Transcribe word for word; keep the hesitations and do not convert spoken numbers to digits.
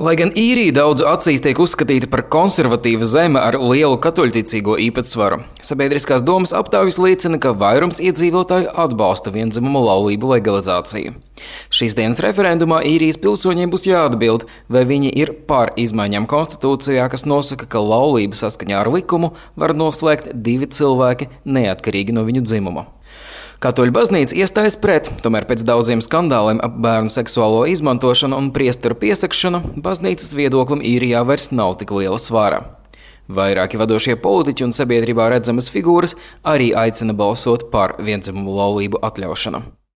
Lai gan Īrija daudzu acīs tiek uzskatīta par konservatīvu zemi ar lielu katoļticīgo īpatsvaru, sabiedriskās domas aptaujas liecina, ka vairums iedzīvotāju atbalsta viendzimumu laulību legalizāciju. Šīs dienas referendumā Īrijas pilsoņiem būs jāatbild, vai viņi ir par izmaiņām konstitūcijā, kas nosaka, ka laulību saskaņā ar likumu var noslēgt divi cilvēki neatkarīgi no viņu dzimuma. Katoļu baznīca iestājas pret, tomēr pēc daudziem skandāliem ap bērnu seksuālo izmantošanu un priesteru piesakšanu, baznīcas viedoklim Īrijā vairs nav tik liela svāra. Vairāki vadošie politiķi un sabiedrībā redzamas figūras arī aicina balsot par viendzimumu laulību atļaušanu.